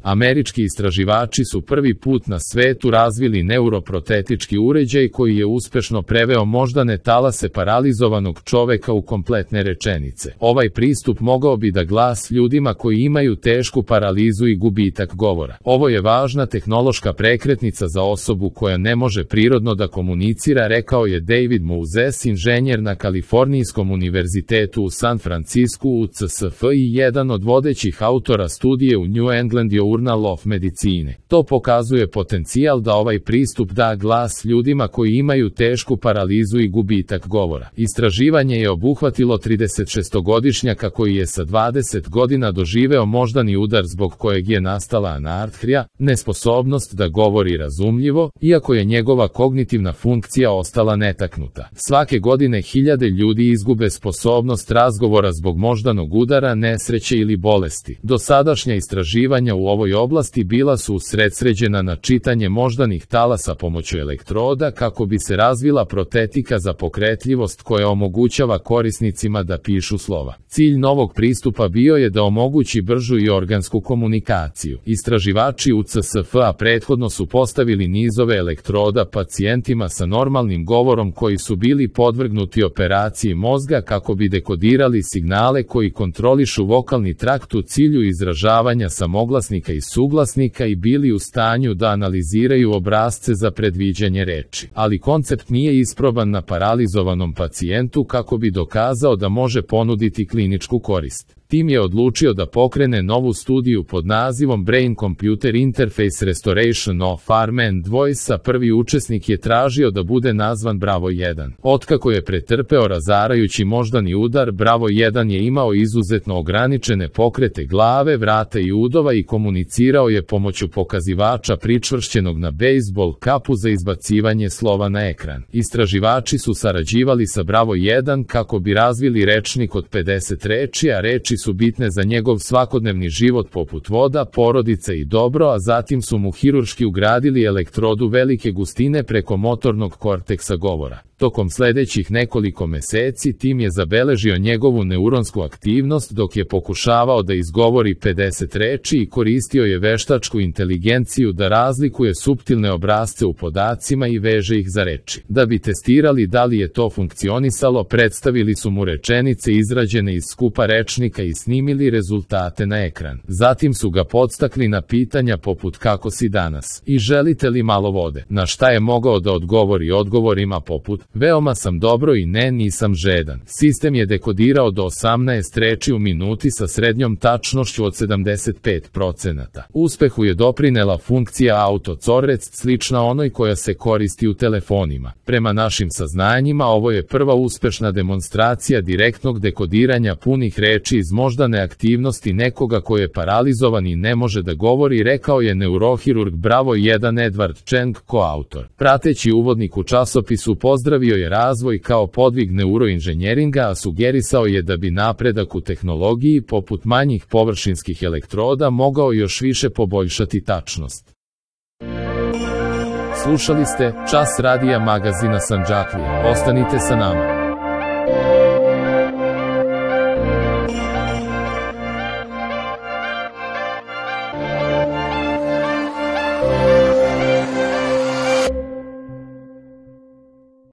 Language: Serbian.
Američki istraživači su prvi put na svetu razvili neuroprotetički uređaj koji je uspešno preveo moždane talase paralizovanog čoveka u kompletne rečenice. Ovaj pristup mogao bi da glas ljudima koji imaju tešku paralizu i gubitak govora. Ovo je važna tehnološka prekretnica za osobu koja ne može prirodno da komunicira, rekao je David Moses, inženjer na Kalifornijskom univerzitetu u San Francisku u CSF i jedan od vodećih autora studije u New England Journal of Medicine. To pokazuje potencijal da ovaj pristup da glas ljudima koji imaju tešku paralizu i gubitak govora. Istraživanje je obuhvatilo 36-godišnjaka koji je sa 20 godina doživeo moždani udar zbog kojeg je nastala anartrija, nesposobnost da govori razumljivo, iako je njegova kognitivna funkcija ostala netaknuta. Svake godine hiljade ljudi izgube sposobnost razgovora zbog moždanog udara, nesreće ili bolesti. Dosadašnja istraživanja u ovoj oblasti bila su usredsređena na čitanje moždanih talasa pomoću elektroda kako bi se razvila protetika za pokretljivost koja omogućava korisnicima da pišu slova. Cilj novog pristupa bio je da omogući bržu i organsku komunikaciju. Istraživači u CSF-a prethodno su postavili nizove elektroda pacijentima sa normalnim govorom koji su bili podvrgnuti operaciji mozga kako bi dekodirali signale koji kontrolišu vokalni trakt u cilju izražavanja samoglasnika i suglasnika i bili u stanju da analiziraju obrasce za predviđanje reči. Ali koncept nije isproban na paralizovanom pacijentu kako bi dokazao da može ponuditi kliničku korist. Tim je odlučio da pokrene novu studiju pod nazivom Brain Computer Interface Restoration of Arm and Voice, a prvi učesnik je tražio da bude nazvan Bravo 1. Otkako je pretrpeo razarajući moždani udar, Bravo 1 je imao izuzetno ograničene pokrete glave, vrata i udova i komunicirao je pomoću pokazivača pričvršćenog na bejzbol kapu za izbacivanje slova na ekran. Istraživači su sarađivali sa Bravo 1 kako bi razvili rečnik od 50 reči, a reči su bitne za njegov svakodnevni život poput voda, porodica i dobro, a zatim su mu hirurški ugradili elektrodu velike gustine preko motornog korteksa govora. Tokom sledećih nekoliko meseci tim je zabeležio njegovu neuronsku aktivnost dok je pokušavao da izgovori 50 reči i koristio je veštačku inteligenciju da razlikuje suptilne obrasce u podacima i veže ih za reči. Da bi testirali da li je to funkcionisalo, predstavili su mu rečenice izrađene iz skupa rečnika i snimili rezultate na ekran. Zatim su ga podstakli na pitanja poput kako si danas i želite li malo vode, na šta je mogao da odgovori odgovorima poput veoma sam dobro i ne, nisam žedan. Sistem je dekodirao do 18 reči u minuti sa srednjom tačnošću od 75%. Uspehu je doprinela funkcija autocorec slična onoj koja se koristi u telefonima. Prema našim saznanjima, ovo je prva uspešna demonstracija direktnog dekodiranja punih reči iz moždane aktivnosti nekoga ko je paralizovan i ne može da govori, rekao je neurohirurg Bravo 1 Edward Cheng, koautor. Prateći uvodnik u časopisu pozdravio je razvoj kao podvig neuroinženjeringa, a sugerisao je da bi napredak u tehnologiji poput manjih površinskih elektroda mogao još više poboljšati tačnost. Slušali ste Čas radija magazina Sandžaklija. Ostanite sa nama.